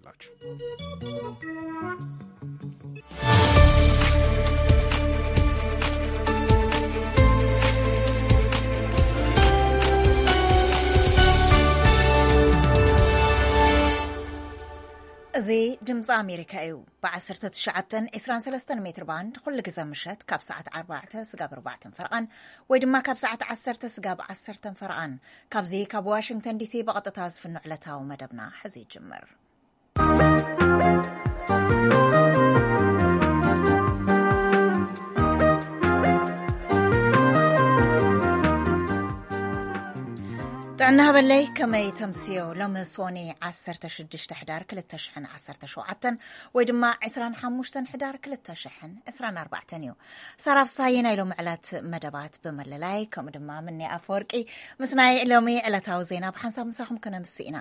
ላችሁ። እዚ ድምፂ ኣሜሪካ እዩ። ብ19 23 ሜትር ባንድ ኩሉ ግዜ ምሸት ካብ ሰዓት ኣርባዕተ ስጋብ ኣርባዕተን ፈረቓን ወይ ድማ ካብ ሰዓት ዓሰርተ ስጋብ ዓሰርተን ፈረቓን፣ ካብዚ ካብ ዋሽንግተን ዲሲ ብቐጥታ ዝፍኖ ዕለታዊ መደብና ሕዚ ይጅምር። ጥዕና ሃበለይ፣ ከመይ ተምስዮ? ሎሚ ሶኒ 16 ሕዳር 2017 ወይ ድማ 25 ሕዳር 2024 እዩ። ሳራ ፍሳዬ ናይ ሎሚ ዕለት መደባት ብምልላይ፣ ከምኡ ድማ ምኒ ኣፈወርቂ ምስ ናይ ሎሚ ዕለታዊ ዜና ብሓንሳብ ምሳኹም ከነምስእ ኢና።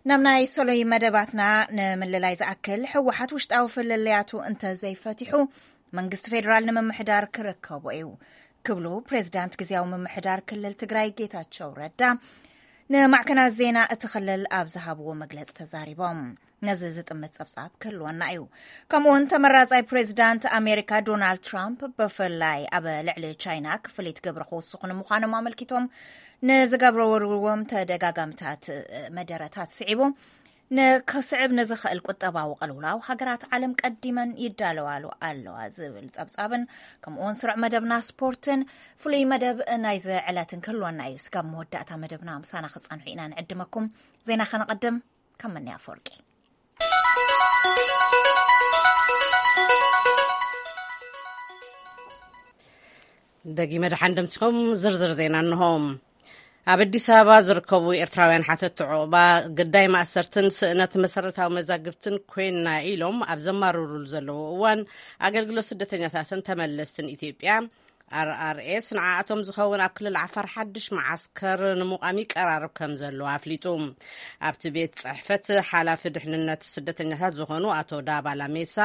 ናብ ናይ ሶሎይ መደባትና ንምልላይ ዝኣክል፣ ህወሓት ውሽጣዊ ፍልልያቱ እንተ ዘይፈቲሑ መንግስቲ ፌዴራል ንምምሕዳር ክርከቦ እዩ ክብሉ ፕሬዚዳንት ግዜያዊ ምምሕዳር ክልል ትግራይ ጌታቸው ረዳ ንማዕከናት ዜና እቲ ክልል ኣብ ዝሃብዎ መግለፂ ተዛሪቦም። ነዚ ዝጥምት ጸብጻብ ክህልወና እዩ። ከምኡውን ተመራጻይ ፕሬዚዳንት ኣሜሪካ ዶናልድ ትራምፕ ብፍላይ ኣብ ልዕሊ ቻይና ክፍሊት ግብሪ ክውስኹ ንምዃኖም ኣመልኪቶም ንዝገብርዎም ተደጋጋምታት መደረታት ስዒቡ፣ ንክስዕብ ንዝኽእል ቁጠባዊ ቅልውላው ሃገራት ዓለም ቀዲመን ይዳለዋሉ ኣለዋ ዝብል ጸብጻብን፣ ከምኡውን ስሩዕ መደብና ስፖርትን ፍሉይ መደብ ናይዚ ዕለትን ክህልወና እዩ። ስጋብ መወዳእታ መደብና ምሳና ክጸንሑ ኢና ንዕድመኩም። ዜና ከነቐድም። ከም ምንያ ኣፈወርቂ። ደጊመ ደሓን ደምሲኹም። ዝርዝር ዜና እንሆ። ኣብ ኣዲስ ኣበባ ዝርከቡ ኤርትራውያን ሓተቲ ዑቕባ ግዳይ ማእሰርትን ስእነት መሰረታዊ መዛግብትን ኮይና ኢሎም ኣብ ዘማርሩሉ ዘለዉ እዋን፣ ኣገልግሎት ስደተኛታትን ተመለስትን ኢትዮጵያ፣ ኣር ኣር ኤስ፣ ንዓኣቶም ዝኸውን ኣብ ክልል ዓፋር ሓድሽ መዓስከር ንምቋም ይቀራረብ ከም ዘሎ ኣፍሊጡ። ኣብቲ ቤት ጽሕፈት ሓላፊ ድሕንነት ስደተኛታት ዝኾኑ ኣቶ ዳባ ላሜሳ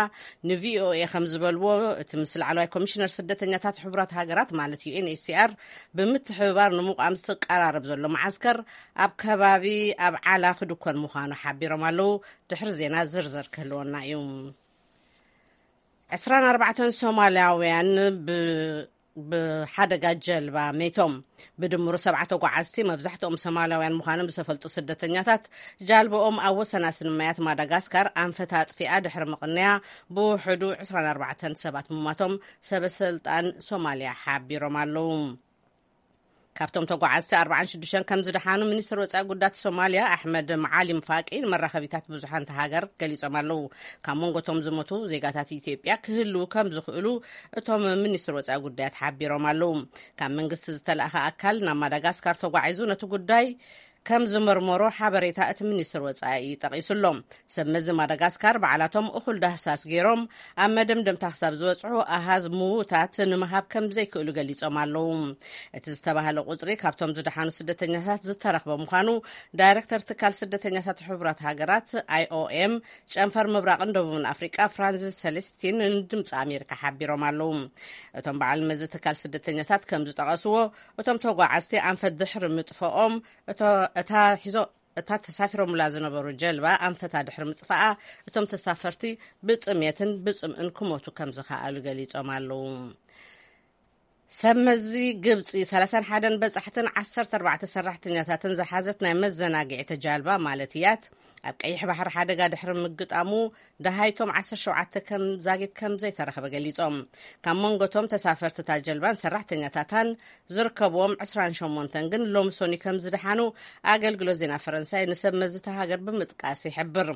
ን ቪ ኦ ኤ ከም ዝበልዎ፣ እቲ ምስ ላዕለዋይ ኮሚሽነር ስደተኛታት ሕቡራት ሃገራት ማለት ዩ ኤን ኤች ሲ ኣር ብምትሕብባር ንምቋም ዝተቀራረብ ዘሎ መዓስከር ኣብ ከባቢ ኣብ ዓላ ክድኮን ምዃኑ ሓቢሮም ኣለዉ። ድሕሪ ዜና ዝርዝር ክህልወና እዩ። 24 ሶማልያውያን ብ-፣ ብሓደጋ ጀልባ መይቶም። ብድምሩ ሰብዓ ተጓዓዝቲ፣ መብዛሕትኦም ሶማልያውያን ምዃኖም ዝተፈልጡ ስደተኛታት፣ ጃልባኦም ኣብ ወሰናስን ማያት ማዳጋስካር ኣንፈት ኣጥፊኣ ድሕሪ ምቕንያ፣ ብውሕዱ 24 ሰባት ምሟቶም ሰበ ስልጣን ሶማልያ ሓቢሮም ኣለዉ። ካብቶም ተጓዓዝቲ 46 ከም ዝደሓኑ ሚኒስትር ወጻኢ ጉዳያት ሶማልያ ኣሕመድ መዓሊም ፋቂ ንመራኸቢታት ብዙሓን እታ ሃገር ገሊጾም ኣለዉ። ካብ መንጎ እቶም ዝሞቱ ዜጋታት ኢትዮጵያ ክህልዉ ከም ዝኽእሉ እቶም ሚኒስትር ወጻኢ ጉዳያት ሓቢሮም ኣለዉ። ካብ መንግስቲ ዝተላእኸ ኣካል ናብ ማዳጋስካር ተጓዒዙ ነቲ ጉዳይ ከም ዝመርመሮ ሓበሬታ እቲ ሚኒስትር ወጻኢ ጠቒሱ ኣሎ። ሰብ መዚ ማዳጋስካር ባዕላቶም እኹል ዳህሳስ ገይሮም ኣብ መደምደምታ ክሳብ ዝበጽሑ ኣሃዝ ምዉታት ንምሃብ ከም ዘይክእሉ ገሊጾም ኣለዉ። እቲ ዝተባህለ ቁጽሪ ካብቶም ዝደሓኑ ስደተኛታት ዝተረኽበ ምዃኑ ዳይረክተር ትካል ስደተኛታት ሕቡራት ሃገራት ኣይ ኦ ኤም ጨንፈር ምብራቕን ደቡብን ኣፍሪቃ ፍራንሲስ ሰለስቲን ንድምፂ ኣሜሪካ ሓቢሮም ኣለዉ። እቶም በዓል መዚ ትካል ስደተኛታት ከም ዝጠቐስዎ፣ እቶም ተጓዓዝቲ ኣንፈት ድሕሪ ምጥፈኦም፣ እቶ-፣ እታ ሒዞ-፣ እታ ተሳፊሮምላ ዝነበሩ ጀልባ ኣንፈታ ድሕሪ ምጥፋኣ፣ እቶም ተሳፈርቲ ብጥሜትን ብጽምእን ክሞቱ ከም ዝኸኣሉ ገሊጾም ኣለዉ። ሰብ መዚ ግብጺ 31 በጻሕትን 14 ሰራሕተኛታትን ዝሓዘት ናይ መዘናግዒ ተጃልባ ማለት ያት ኣብ ቀይሕ ባሕሪ ሓደጋ ድሕሪ ምግጣሙ፣ ደሃይቶም 17 ከም ዛጊት ከም ዘይተረኸበ ገሊጾም። ካብ መንጎቶም ተሳፈርቲ እታ ጀልባን ሰራሕተኛታታን ዝርከብዎም 28 ግን ሎም ሶኒ ከም ዝደሓኑ ኣገልግሎት ዜና ፈረንሳይ ንሰብ መዚ እታ ሃገር ብምጥቃስ ይሕብር።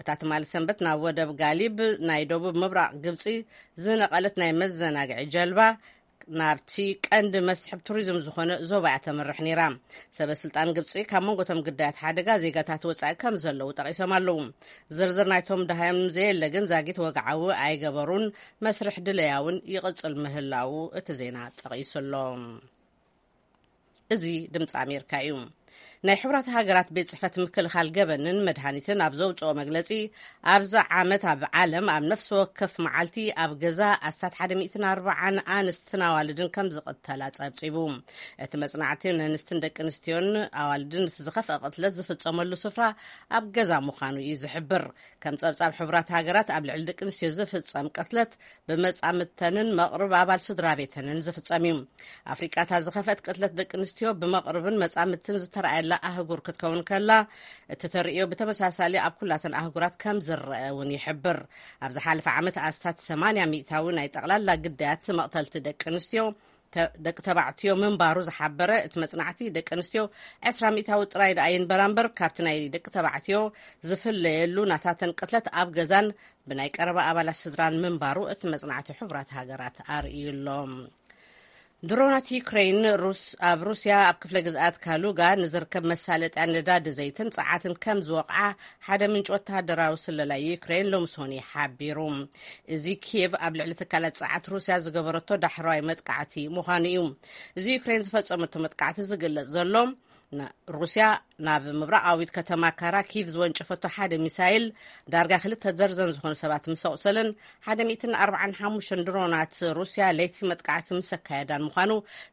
እታ ትማሊ ሰንበት ናብ ወደብ ጋሊብ ናይ ደቡብ ምብራቕ ግብጺ ዝነቐለት ናይ መዘናግዒ ጀልባ ናብቲ ቀንዲ መስሕብ ቱሪዝም ዝኾነ ዞባ እያ ተምርሕ ነይራ። ሰበ ስልጣን ግብጺ ካብ መንጎ እቶም ግዳያት ሓደጋ ዜጋታት ወጻኢ ከም ዘለዉ ጠቒሶም ኣለዉ። ዝርዝር ናይቶም ደሃዮም ዘየለ ግን ዛጊት ወግዓዊ ኣይገበሩን፣ መስርሕ ድለያ እውን ይቕጽል ምህላዉ እቲ ዜና ጠቒሱ ኣሎ። እዚ ድምፂ ኣሜሪካ እዩ። ናይ ሕቡራት ሃገራት ቤት ጽሕፈት ምክልኻል ገበንን መድሃኒትን ኣብ ዘውጽኦ መግለጺ፣ ኣብዚ ዓመት ኣብ ዓለም ኣብ ነፍሲ ወከፍ መዓልቲ ኣብ ገዛ ኣስታት ሓደ ሚእትን ኣርባዓን ኣንስትን ኣዋልድን ከም ዝቕተላ ጸብጺቡ። እቲ መጽናዕቲ፣ ንኣንስትን ደቂ ኣንስትዮን ኣዋልድን እቲ ዝኸፍአ ቅትለት ዝፍጸመሉ ስፍራ ኣብ ገዛ ምዃኑ እዩ ዝሕብር። ከም ጸብጻብ ሕቡራት ሃገራት፣ ኣብ ልዕሊ ደቂ ኣንስትዮ ዝፍጸም ቅትለት ብመጻምድተንን መቕርብ ኣባል ስድራ ቤተንን ዝፍጸም እዩ። ኣፍሪቃ፣ እታ ዝኸፍአት ቅትለት ደቂ ኣንስትዮ ብመቕርብን መጻምድትን ዝተረኣየላ ኣህጉር ክትከውን ከላ፣ እቲ ተርእዮ ብተመሳሳሊ ኣብ ኩላተን ኣህጉራት ከም ዝረአ እውን ይሕብር። ኣብ ዝሓለፈ ዓመት ኣስታት ሰማንያ ሚእታዊ ናይ ጠቕላላ ግዳያት መቕተልቲ ደቂ ኣንስትዮ ተ-፣ ደቂ ተባዕትዮ ምንባሩ ዝሓበረ እቲ መጽናዕቲ፣ ደቂ ኣንስትዮ ዕስራ ሚእታዊ ጥራይ ደኣ ይንበራ እምበር፣ ካብቲ ናይ ደቂ ተባዕትዮ ዝፍለየሉ ናታተን ቅትለት ኣብ ገዛን ብናይ ቀረባ ኣባላት ስድራን ምንባሩ እቲ መጽናዕቲ ሕቡራት ሃገራት ኣርእዩ ኣሎ። ድሮናት ዩክሬን ሩስ-፣ ኣብ ሩስያ ኣብ ክፍለ ግዝኣት ካሉጋ ንዝርከብ መሳለጥያ ነዳዲ ዘይትን ጸዓትን ከም ዝወቕዓ ሓደ ምንጪ ወተሃደራዊ ስለላ ዩክሬን ሎሚ ሰኑይ ሓቢሩ። እዚ ኪየቭ ኣብ ልዕሊ ትካላት ጸዓት ሩስያ ዝገበረቶ ዳሕረዋይ መጥቃዕቲ ምዃኑ እዩ። እዚ ዩክሬን ዝፈጸመቶ መጥቃዕቲ ዝግለጽ ዘሎ፣ ን-፣ ሩስያ ናብ ምብራቓዊት ከተማ ካራኪቭ ዝወንጨፈቶ ሓደ ሚሳይል ዳርጋ ክልተ ደርዘን ዝኾኑ ሰባት ምስ ኣቑሰልን ሓደ ሚእትን ኣርባዓን ሓሙሽተን ድሮናት ሩስያ ለይቲ መጥቃዕቲ ምስ ኣካየዳን ምዃኑ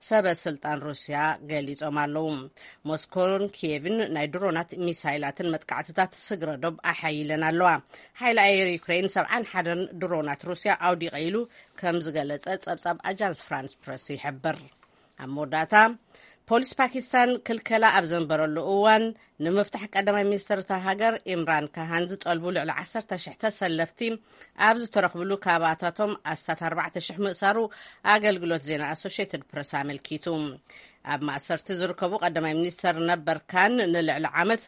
ሰበ ስልጣን ሩስያ ገሊጾም ኣለዉ። ሞስኮን ኪየቭን ናይ ድሮናት ሚሳይላትን መጥቃዕትታት ስግረ ዶብ ኣሓይለን ኣለዋ። ሓይሊ ኣየር ዩክሬን ሰብዓን ሓደን ድሮናት ሩስያ ኣውዲቐ ኢሉ ከም ዝገለጸ ጸብጻብ ኣጃንስ ፍራንስ ፕረስ ይሕብር። ኣብ መወዳእታ፣ ፖሊስ ፓኪስታን ክልከላ ኣብ ዘንበረሉ እዋን፣ ንምፍታሕ ቀዳማይ ሚኒስትር እታ ሃገር ኢምራን ካሃን ዝጠልቡ ልዕሊ ዓሰርተ ሽሕ ተሰለፍቲ ኣብ ዝተረኽብሉ፣ ካብኣታቶም ኣስታት ኣርባዕተ ሽሕ ምእሳሩ ኣገልግሎት ዜና ኣሶሽየትድ ፕረስ ኣመልኪቱ። ኣብ ማእሰርቲ ዝርከቡ ቀዳማይ ሚኒስትር ነበር ካን ንልዕሊ ዓመት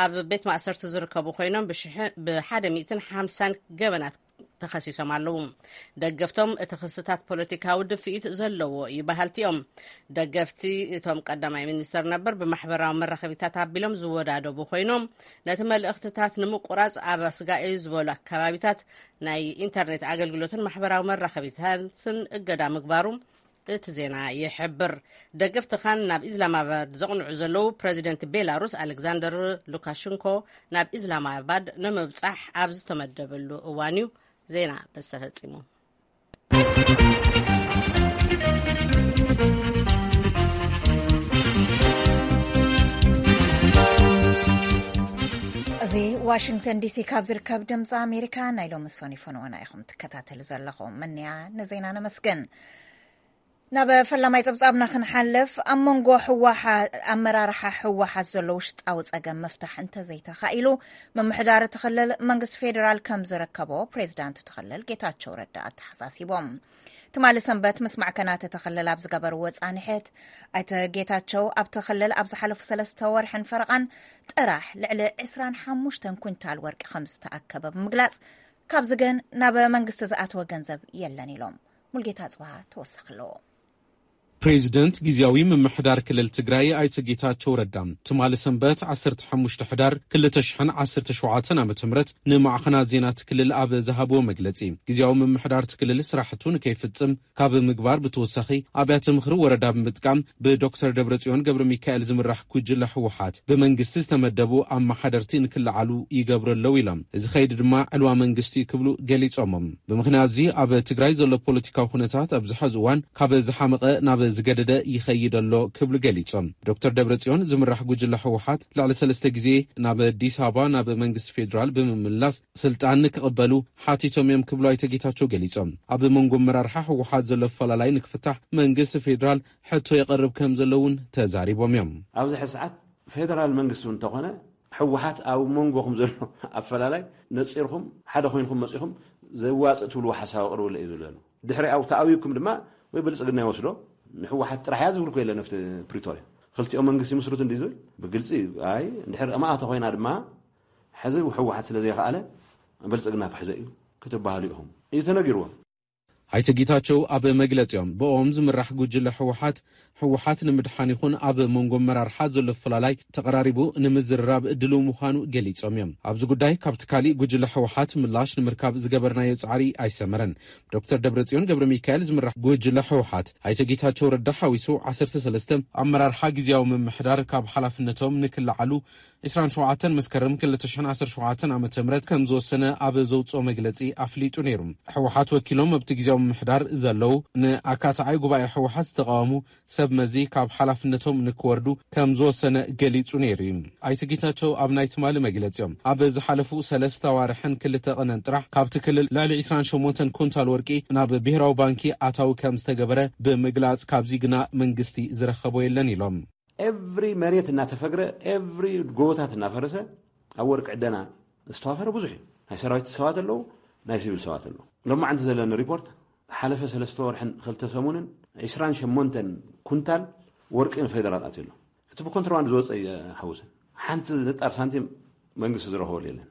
ኣብ ቤት ማእሰርቲ ዝርከቡ ኮይኖም፣ ብሽሕ-፣ ብሓደ ሚእትን ሓምሳን ገበናት ተኸሲሶም ኣለዉ። ደገፍቶም፣ እቲ ክስታት ፖለቲካዊ ድፍኢት ዘለዎ እዩ በሃልቲ እዮም። ደገፍቲ እቶም ቀዳማይ ሚኒስትር ነበር ብማሕበራዊ መራኸቢታት ኣቢሎም ዝወዳደቡ ኮይኖም፣ ነቲ መልእኽትታት ንምቁራጽ ኣብ ኣስጋኢ ዝበሉ ኣከባቢታት ናይ ኢንተርኔት ኣገልግሎትን ማሕበራዊ መራኸቢታትን እገዳ ምግባሩ እቲ ዜና ይሕብር። ደገፍቲ ካን ናብ ኢስላማባድ ዘቕንዑ ዘለዉ፣ ፕረዚደንት ቤላሩስ ኣሌክዛንደር ሉካሽንኮ ናብ ኢስላማባድ ንምብጻሕ ኣብ ዝተመደበሉ እዋን እዩ ዜና በዚ ተፈጺሙ። እዚ ዋሽንግተን ዲሲ ካብ ዝርከብ ድምፂ ኣሜሪካ ናይ ሎሚ ሰኑይ ፈነወና ኢኹም ትከታተሉ ዘለኹም። መንያ ንዜና ነመስግን። ናብ ፈላማይ ጸብጻብና ክንሓልፍ፣ ኣብ መንጎ ህወሓ-፣ ኣመራርሓ ህወሓት ዘሎ ውሽጣዊ ጸገም ምፍታሕ እንተዘይተኻኢሉ፣ ምምሕዳር እቲ ክልል መንግስቲ ፌዴራል ከም ዝርከቦ ፕሬዝዳንት እቲ ክልል ጌታቸው ረዳ ኣተሓሳሲቦም። ትማሊ ሰንበት ምስ ማዕከናት እቲ ክልል ኣብ ዝገበርዎ ጻንሒት፣ ኣይተ ጌታቸው ኣብቲ ክልል ኣብ ዝሓለፉ ሰለስተ ወርሕን ፈረቓን ጥራሕ ልዕሊ ዕስራን ሓሙሽተን ኩንታል ወርቂ ከም ዝተኣከበ ብምግላጽ፣ ካብዚ ግን ናብ መንግስቲ ዝኣተወ ገንዘብ የለን ኢሎም። ሙልጌታ ጽባሃ ተወሳኺ ኣለዎ። ፕሬዚደንት ግዝያዊ ምምሕዳር ክልል ትግራይ ኣይተ ጌታቸው ረዳ ትማሊ ሰንበት ዓሰርተ ሓሙሽተ ሕዳር ክልተ ሽሕን ዓሰርተ ሸውዓተን ዓመተ ምህረት ንማዕኸናት ዜና እቲ ክልል ኣብ ዝሃብዎ መግለጺ፣ ግዝያዊ ምምሕዳር እቲ ክልል ስራሕቱ ንከይፍጽም ካብ ምግባር ብተወሳኺ፣ ኣብያተ ምኽሪ ወረዳ ብምጥቃም ብዶክተር ደብረጽዮን ገብረ ሚካኤል ዝምራሕ ጉጅለ ህወሓት ብመንግስቲ ዝተመደቡ ኣመሓደርቲ ንክለዓሉ ይገብሩ ኣለዉ ኢሎም። እዚ ከይዲ ድማ ዕልዋ መንግስቲ እዩ ክብሉ ገሊጾም። ብምኽንያት እዚ ኣብ ትግራይ ዘሎ ፖለቲካዊ ኩነታት ኣብዚ ሐዚ እዋን ካብ ዝሓመቐ ናብ ዝገደደ ይኸይድ ኣሎ ክብሉ ገሊጾም። ዶክተር ደብረጽዮን ዝምራሕ ጉጅለ ህወሓት ልዕሊ ሰለስተ ግዜ ናብ ኣዲስ ኣበባ ናብ መንግስቲ ፌዴራል ብምምላስ ስልጣን ንክቕበሉ ሓቲቶም እዮም ክብሉ ኣይተ ጌታቸው ገሊጾም። ኣብ መንጎ ኣመራርሓ ህወሓት ዘሎ ኣፈላላይ ንክፍታሕ መንግስቲ ፌዴራል ሕቶ የቐርብ ከም ዘሎ እውን ተዛሪቦም እዮም። ኣብዚ ሕዚ ሰዓት ፌደራል መንግስቲ እውን እንተኾነ፣ ህወሓት ኣብ መንጎኹም ዘሎ ኣፈላላይ ነፂርኩም ሓደ ኮይንኩም መፂኹም ዘዋፅእ ትብልዎ ሓሳብ ኣቕርብለ እዩ ዝብለሉ። ድሕሪ ኣብ ተኣውይኩም ድማ ወይ ብልፅግና ይወስዶ፣ ንህወሓት ጥራሕ እያ ዝብል እኮ የለን። ኣብቲ ፕሪቶርያ ክልቲኦም መንግስቲ ምስሩት እንዲ ዝብል ብግልፂ እዩ። ኣይ፣ እንድሕር እማኣ ተኾይና ድማ፣ ሕዚ ህወሓት ስለ ዘይኸኣለ ብልፅግና ክሕዞ እዩ ክትበሃሉ ኢኹም እዩ ተነጊርዎም። ኣይተ ጌታቸው ኣብ መግለጺኦም፣ ብኦም ዝምራሕ ጉጅለ ህወሓት፣ ህወሓት ንምድሓን ይኹን ኣብ መንጎ ኣመራርሓ ዘሎ ፍላላይ ተቐራሪቡ ንምዝርራብ ድሉው ምዃኑ ገሊጾም እዮም። ኣብዚ ጉዳይ ካብቲ ካሊእ ጉጅለ ህወሓት ምላሽ ንምርካብ ዝገበርናዮ ጻዕሪ ኣይሰመረን። ዶክተር ደብረጽዮን ገብረ ሚካኤል ዝምራሕ ጉጅለ ህወሓት፣ ኣይተ ጌታቸው ረዳ ሓዊሱ ዓሰርተ ሰለስተ ኣመራርሓ ግዝያዊ ምምሕዳር ካብ ሓላፍነቶም ንክለዓሉ ዕስራን ሸውዓተን መስከረም ክልተ ሽሕን ዓሰርተ ሸውዓተን ዓመተ ምህረት ከም ዝወሰነ ኣብ ዘውጽኦ መግለጺ ኣፍሊጡ ነይሩ። ህወሓት ወኪሎም ኣብቲ ግዝያዊ ምምሕዳር ዘለዉ ንኣካታዓይ ጉባኤ ህወሓት ዝተቃወሙ ሰብ መዚ ካብ ሓላፍነቶም ንክወርዱ ከም ዝወሰነ ገሊጹ ነይሩ እዩ። ኣይተ ጌታቸው ኣብ ናይ ትማሊ መግለጺኦም፣ ኣብ ዝሓለፉ ሰለስተ ኣዋርሕን ክልተ ቀነን ጥራሕ ካብቲ ክልል ልዕሊ ዕስራን ሸሞንተን ኩንታል ወርቂ ናብ ብሄራዊ ባንኪ ኣታዊ ከም ዝተገበረ ብምግላጽ፣ ካብዚ ግና መንግስቲ ዝረኸቦ የለን ኢሎም። ኤቭሪ መሬት እናተፈግረ፣ ኤቭሪ ጎቦታት እናፈረሰ ኣብ ወርቂ ዕደና ዝተዋፈረ ብዙሕ እዩ። ናይ ሰራዊት ሰባት ኣለዉ፣ ናይ ሲቪል ሰባት ኣለዉ። ሎማዓንቲ ዘለኒ ሪፖርት፣ ሓለፈ ሰለስተ ወርሕን ክልተ ሰሙንን ዕስራን ሸሞንተን ኩንታል ወርቂ ንፌደራል ኣትዩ ኣሎ። እቲ ብኮንትሮባንድ ዝወፀ ኣይሓውስን። ሓንቲ ንጣር ሳንቲም መንግስቲ ዝረኸበሉ የለን።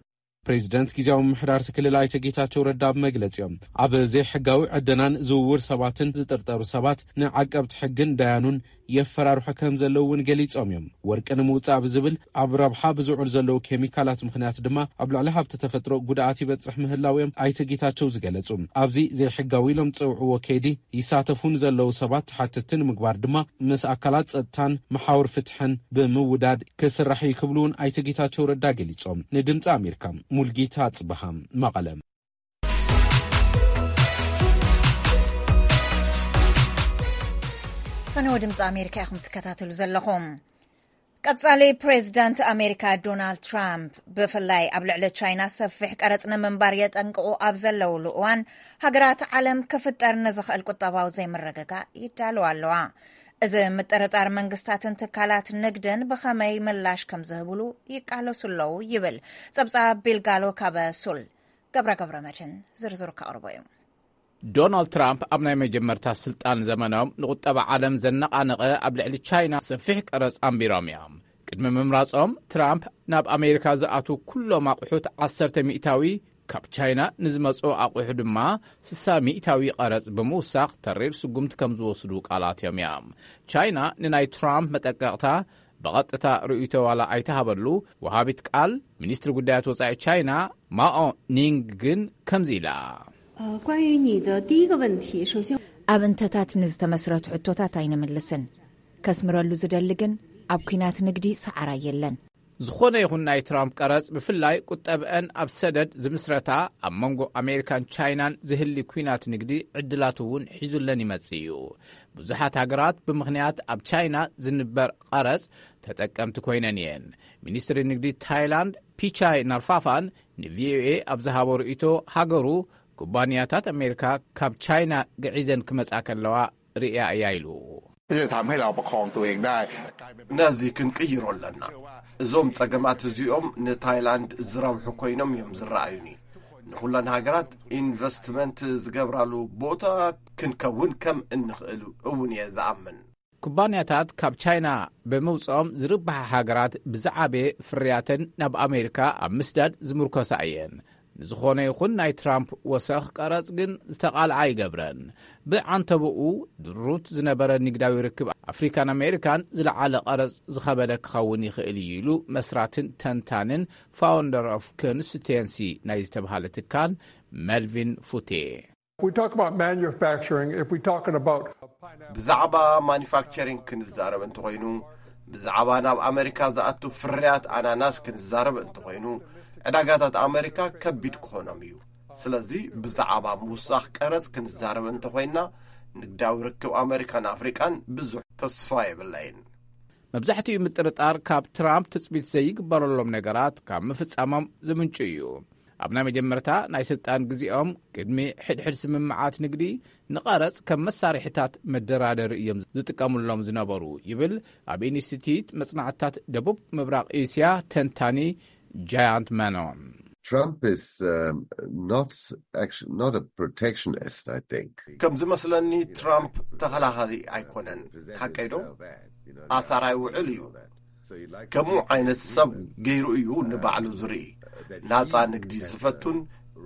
ፕሬዚደንት ግዝያዊ ምምሕዳር እቲ ክልል ኣይተ ጌታቸው ረዳ ኣብ መግለጺኦም፣ ኣብ ዘይሕጋዊ ዕደናን ዝውውር ሰባትን ዝጥርጠሩ ሰባት ንዓቀብቲ ሕግን ዳያኑን የፈራርሑ ከም ዘለዉ እውን ገሊጾም እዮም። ወርቂ ንምውጻእ ብዝብል ኣብ ረብሓ ብዝውዕሉ ዘለዉ ኬሚካላት ምኽንያት ድማ ኣብ ልዕሊ ሃብቲ ተፈጥሮ ጉድኣት ይበጽሕ ምህላው እዮም ኣይተ ጌታቸው ዝገለጹ። ኣብዚ ዘይሕጋዊ ኢሎም ዝጸውዕዎ ከይዲ ይሳተፉ ንዘለዉ ሰባት ተሓተትቲ ንምግባር ድማ ምስ ኣካላት ጸጥታን መሓውር ፍትሕን ብምውዳድ ክስራሕ እዩ ክብሉ እውን ኣይተ ጌታቸው ረዳ ገሊጾም። ንድምፂ ኣሜሪካ ሙልጌታ ጽበሃ፣ መቐለ። ፈነወ ድምፂ ኣሜሪካ ኢኹም ትከታተሉ ዘለኹም። ቀጻሊ ፕሬዚዳንት ኣሜሪካ ዶናልድ ትራምፕ ብፍላይ ኣብ ልዕሊ ቻይና ሰፊሕ ቀረጽ ንምንባር የጠንቅቑ ኣብ ዘለውሉ እዋን፣ ሃገራት ዓለም ክፍጠር ንዝኽእል ቁጠባዊ ዘይምርግጋእ ይዳለዋ ኣለዋ። እዚ ምጥርጣር መንግስታትን ትካላት ንግድን ብኸመይ ምላሽ ከም ዝህብሉ ይቃለሱ ኣለዉ ይብል ጸብጻብ ቢልጋሎ ካብ ሱል። ገብረ ገብረ መድህን ዝርዝሩ ከቕርቦ እዩ። ዶናልድ ትራምፕ ኣብ ናይ መጀመርታ ስልጣን ዘመኖም ንቁጠባ ዓለም ዘነቓነቐ ኣብ ልዕሊ ቻይና ሰፊሕ ቀረጽ ኣንቢሮም እዮም። ቅድሚ ምምራጾም ትራምፕ ናብ ኣሜሪካ ዝኣትዉ ኩሎም ኣቑሑት ዓሰርተ ሚእታዊ፣ ካብ ቻይና ንዝመጹ ኣቑሑ ድማ ስሳ ሚእታዊ ቀረጽ ብምውሳኽ ተሪር ስጉምቲ ከም ዝወስዱ ቃላት እዮም እዮም። ቻይና ንናይ ትራምፕ መጠቀቕታ ብቐጥታ ርእይቶ ዋላ ኣይተሃበሉ፣ ወሃቢት ቃል ሚኒስትሪ ጉዳያት ወጻኢ ቻይና ማኦ ኒንግ ግን ከምዚ ኢላ። 呃，关于你的第一个问题，首先 ኣብ እንተታት ንዝተመስረቱ ሕቶታት ኣይንምልስን። ከስምረሉ ዝደሊ ግን ኣብ ኲናት ንግዲ ሰዓራ የለን። ዝኾነ ይኹን ናይ ትራምፕ ቀረጽ፣ ብፍላይ ቁጠብአን ኣብ ሰደድ ዝምስረታ፣ ኣብ መንጎ ኣሜሪካን ቻይናን ዝህሊ ኲናት ንግዲ ዕድላት እውን ሒዙለን ይመጽእ እዩ። ብዙሓት ሃገራት ብምኽንያት ኣብ ቻይና ዝንበር ቀረጽ ተጠቀምቲ ኮይነን እየን። ሚኒስትሪ ንግዲ ታይላንድ ፒቻይ ናርፋፋን ንቪኦኤ ኣብ ዝሃቦ ርእይቶ፣ ሃገሩ ኩባንያታት ኣሜሪካ ካብ ቻይና ግዒዘን ክመጻ ከለዋ ርእያ እያ ኢሉ። ที่จะทำให้เราประคองตัวเองได้ ነዚ ክንቅይሮ ኣለና። እዞም ጸገማት እዚኦም ንታይላንድ ዝረብሑ ኮይኖም እዮም ዝረኣዩኒ። ንኹለን ሃገራት ኢንቨስትመንት ዝገብራሉ ቦታ ክንከውን ከም እንኽእል እውን እየ ዝኣምን። ኩባንያታት ካብ ቻይና ብምውፅኦም ዝርብሓ ሃገራት ብዝዓበየ ፍርያተን ናብ ኣሜሪካ ኣብ ምስዳድ ዝምርኮሳ እየን። ንዝኾነ ይኹን ናይ ትራምፕ ወሰኽ ቀረጽ ግን ዝተቓልዓ ኣይገብረን። ብዓንተቦኡ ድሩት ዝነበረ ንግዳዊ ርክብ ኣፍሪካን ኣሜሪካን ዝለዓለ ቀረጽ ዝኸበደ ክኸውን ይኽእል እዩ ኢሉ መስራትን ተንታንን ፋውንደር ኦፍ ኮንስቲትዌንሲ ናይ ዝተብሃለ ትካል መልቪን ፉቴ። We talk about manufacturing, if we talking about ብዛዕባ ማኑፋክቸሪንግ ክንዛረብ እንተኾይኑ፣ ብዛዕባ ናብ ኣመሪካ ዝኣቱ ፍርያት ኣናናስ ክንዛረብ እንተኾይኑ፣ ዕዳጋታት ኣመሪካ ከቢድ ክኾኖም እዩ። ስለዚ ብዛዕባ ምውሳኽ ቀረጽ ክንዛረብ እንተኾይንና፣ ንግዳዊ ርክብ ኣመሪካን ኣፍሪቃን ብዙሕ ተስፋ የብለይን። መብዛሕትኡ ምጥርጣር ካብ ትራምፕ ትጽቢት ዘይግበረሎም ነገራት ካብ ምፍጻሞም ዝምንጩ እዩ። ኣብ ናይ መጀመርታ ናይ ስልጣን ግዜኦም ቅድሚ ሕድሕድ ስምምዓት ንግዲ ንቐረጽ ከም መሳርሒታት መደራደሪ እዮም ዝጥቀሙሎም ዝነበሩ ይብል ኣብ ኢንስቲትዩት መጽናዕትታት ደቡብ ምብራቕ ኤስያ ተንታኒ ጃያንት መኖን። Trump is um, not actually not a protectionist, I think. ከም ዝመስለኒ ትራምፕ ተኸላኻሊ ኣይኮነን። ሓቀይ ዶ? ኣሳራይ ውዕል እዩ። ከምኡ ዓይነት ሰብ ገይሩ እዩ ንባዕሉ ዝርኢ። ናፃ ንግዲ ዝፈቱን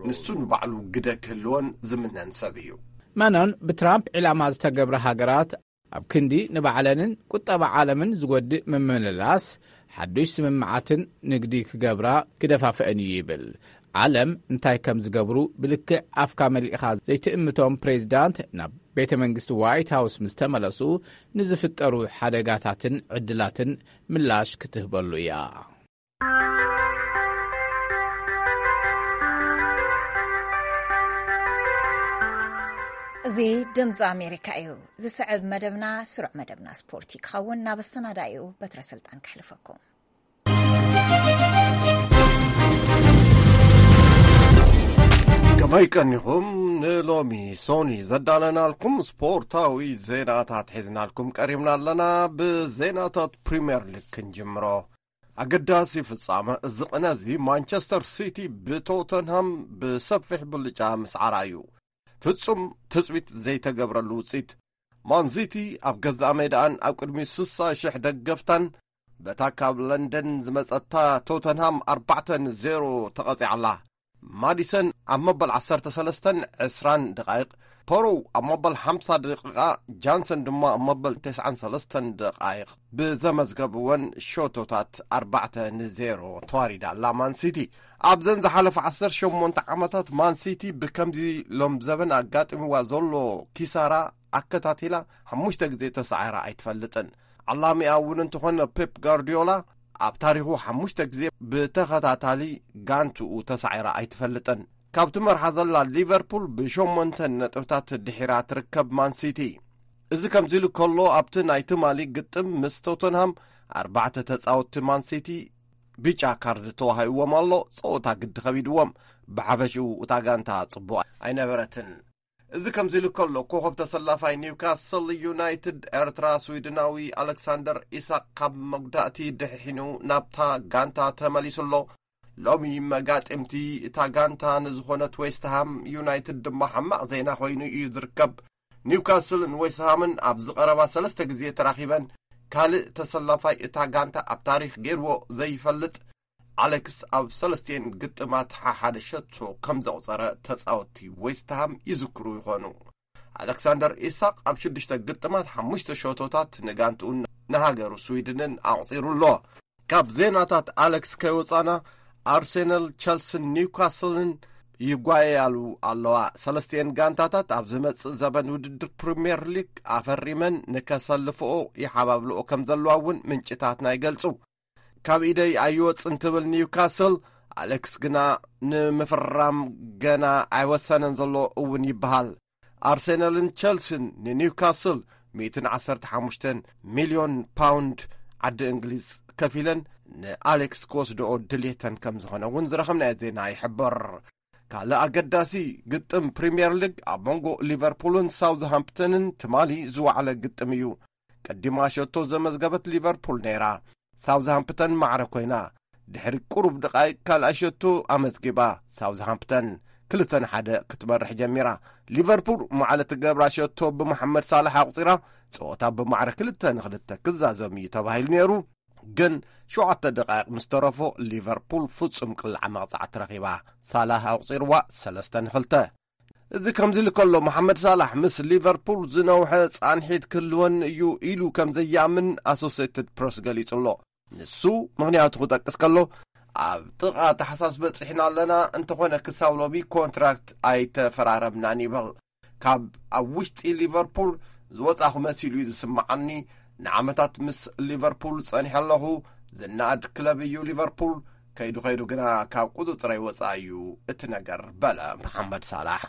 ንሱ ንባዕሉ ግደ ክህልዎን ዝምነን ሰብ እዩ። መኖን ብትራምፕ ዒላማ ዝተገብረ ሃገራት ኣብ ክንዲ ንባዕለንን ቁጠባ ዓለምን ዝጎድእ ምምልላስ ሓዱሽ ስምምዓትን ንግዲ ክገብራ ክደፋፍአን እዩ ይብል። ዓለም እንታይ ከም ዝገብሩ ብልክዕ ኣፍካ መሊእኻ ዘይትእምቶም ፕሬዚዳንት ናብ ቤተ መንግስቲ ዋይት ሃውስ ምስ ተመለሱ ንዝፍጠሩ ሓደጋታትን ዕድላትን ምላሽ ክትህበሉ እያ። እዚ ድምፂ ኣሜሪካ እዩ። ዝስዕብ መደብና ስሩዕ መደብና ስፖርት ክኸውን ናብ ኣሰናዳኢኡ በትረ ስልጣን ክሕልፈኩም። ከመይ ቀኒኹም? ንሎሚ ሶኒ ዘዳለናልኩም ስፖርታዊ ዜናታት ሒዝናልኩም ቀሪብና ኣለና። ብዜናታት ፕሪምየር ሊግ ክንጅምሮ። ኣገዳሲ ፍጻመ እዚ ቅነ እዚ ማንቸስተር ሲቲ ብቶተንሃም ብሰፊሕ ብልጫ ምስዓራ እዩ። ፍጹም ትጽቢት ዘይተገብረሉ ውጽኢት። ማንሲቲ ኣብ ገዛእ ሜዳኣን ኣብ ቅድሚ ስሳ ሽሕ ደገፍታን በታ ካብ ለንደን ዝመጸታ ቶተንሃም ኣርባዕተ ንዜሮ ተቐጺዓላ። ማዲሰን ኣብ መበል ዓሰርተ ሰለስተን ዕስራን ደቓይቕ፣ ፖሮው ኣብ መበል ሓምሳ ደቂቓ፣ ጃንሰን ድማ ኣብ መበል ተስዓን ሰለስተን ደቓይቕ ብዘመዝገብወን ሸቶታት ኣርባዕተ ንዜሮ ተዋሪዳ ኣላ ማንሲቲ። ኣብዘን ዝሓለፈ ዓሰርተ ሸሞንተ ዓመታት ማንሲቲ ብከምዚ ሎም ዘበን ኣጋጢምዋ ዘሎ ኪሳራ ኣከታቲላ ሓሙሽተ ግዜ ተሳዒራ ኣይትፈልጥን። ዓላሚኣ እውን እንተኾነ ፔፕ ጋርዲዮላ ኣብ ታሪኹ ሓሙሽተ ግዜ ብተኸታታሊ ጋንትኡ ተሳዒራ ኣይትፈልጥን። ካብቲ መርሓ ዘላ ሊቨርፑል ብሸሞንተ ነጥብታት ድሒራ ትርከብ ማንሲቲ። እዚ ከምዚ ኢሉ ከሎ ኣብቲ ናይ ትማሊ ግጥም ምስ ቶተንሃም ኣርባዕተ ተጻወትቲ ማንሲቲ ቢጫ ካርድ ተዋሂብዎም ኣሎ። ጸወታ ግዲ ከቢድዎም። ብሓፈሽኡ እታ ጋንታ ጽቡቕ ኣይነበረትን። እዚ ከምዚ ኢሉ ከሎ ኮኸብ ተሰላፋይ ኒውካስል ዩናይትድ ኤርትራ ስዊድናዊ ኣሌክሳንደር ኢሳቅ ካብ መጉዳእቲ ድሕሒኑ ናብታ ጋንታ ተመሊሱ ኣሎ። ሎሚ መጋጥምቲ እታ ጋንታ ንዝኾነት ዌስትሃም ዩናይትድ ድማ ሓማቕ ዜና ኮይኑ እዩ ዝርከብ። ኒውካስልን ዌስትሃምን ኣብዚ ቀረባ ሰለስተ ግዜ ተራኺበን ካልእ ተሰላፋይ እታ ጋንታ ኣብ ታሪኽ ገይርዎ ዘይፈልጥ ኣሌክስ ኣብ ሰለስቲኤን ግጥማት ሓሓደ ሸቶ ከም ዘቑጸረ ተጻወትቲ ዌስትሃም ይዝክሩ ይኾኑ። ኣሌክሳንደር ኢሳቅ ኣብ ሽዱሽተ ግጥማት ሓሙሽተ ሸቶታት ንጋንትኡን ንሃገሩ ስዊድንን ኣቑጺሩ ኣሎ። ካብ ዜናታት ኣሌክስ ከይወጻና ኣርሴናል፣ ቸልስን ኒውካስልን ይጓየያሉ ኣለዋ። ሰለስቲኤን ጋንታታት ኣብ ዝመጽእ ዘበን ውድድር ፕሪምየር ሊግ ኣፈሪመን ንከሰልፍኦ ይሓባብልኦ ከም ዘለዋ እውን ምንጭታትና ይገልጹ። ካብ ኢደይ ኣይወጽን ትብል ኒውካስል፣ ኣሌክስ ግና ንምፍራም ገና ኣይወሰነን ዘሎ እውን ይበሃል። ኣርሴናልን ቸልሲን ንኒውካስል ሚእትን ዓሰርተ ሓሙሽተን ሚልዮን ፓውንድ ዓዲ እንግሊዝ ከፊለን ንኣሌክስ ክወስድኦ ድልየተን ከም ዝኾነ እውን ዝረኸብናዮ ዜና ይሕብር። ካልእ ኣገዳሲ ግጥም ፕሪምየር ሊግ ኣብ መንጎ ሊቨርፑልን ሳውዝሃምፕተንን ትማሊ ዝወዓለ ግጥም እዩ። ቀዲማ ሸቶ ዘመዝገበት ሊቨርፑል ነይራ። ሳውዝሃምፕተን ማዕረ ኮይና ድሕሪ ቁሩብ ደቓይቅ ካልኣይ ሸቶ ኣመዝጊባ። ሳውዝሃምፕተን ክልተ ንሓደ ክትመርሕ ጀሚራ። ሊቨርፑል ማዕለ ትገብራ ሸቶ ብመሓመድ ሳላሕ ኣቑጺራ። ጸወታ ብማዕረ ክልተ ንክልተ ክዛዘም እዩ ተባሂሉ ነይሩ። ግን ሸውዓተ ደቓይቕ ምስ ተረፎ ሊቨርፑል ፍጹም ቅላዕ መቕጻዕቲ ረኺባ። ሳላህ ኣቑጺርዋ ሰለስተ ንክልተ። እዚ ከምዚ ኢሉ ከሎ መሓመድ ሳላሕ ምስ ሊቨርፑል ዝነውሐ ጻንሒት ክህልወን እዩ ኢሉ ከም ዘይኣምን ኣሶሴትድ ፕረስ ገሊጹ ኣሎ። ንሱ ምኽንያቱ ክጠቅስ ከሎ ኣብ ጥቓ ታሕሳስ በጺሕና ኣለና፣ እንተኾነ ክሳብ ሎሚ ኮንትራክት ኣይተፈራረምናን ይብል። ካብ ኣብ ውሽጢ ሊቨርፑል ዝወጻኹ መሲሉ እዩ ዝስምዓኒ። ንዓመታት ምስ ሊቨርፑል ጸኒሐ ኣለኹ። ዝነኣድ ክለብ እዩ ሊቨርፑል። ከይዱ ከይዱ ግና ካብ ቁጽጽረይ ወጻኢ እዩ እቲ ነገር በለ መሓመድ ሳላሕ።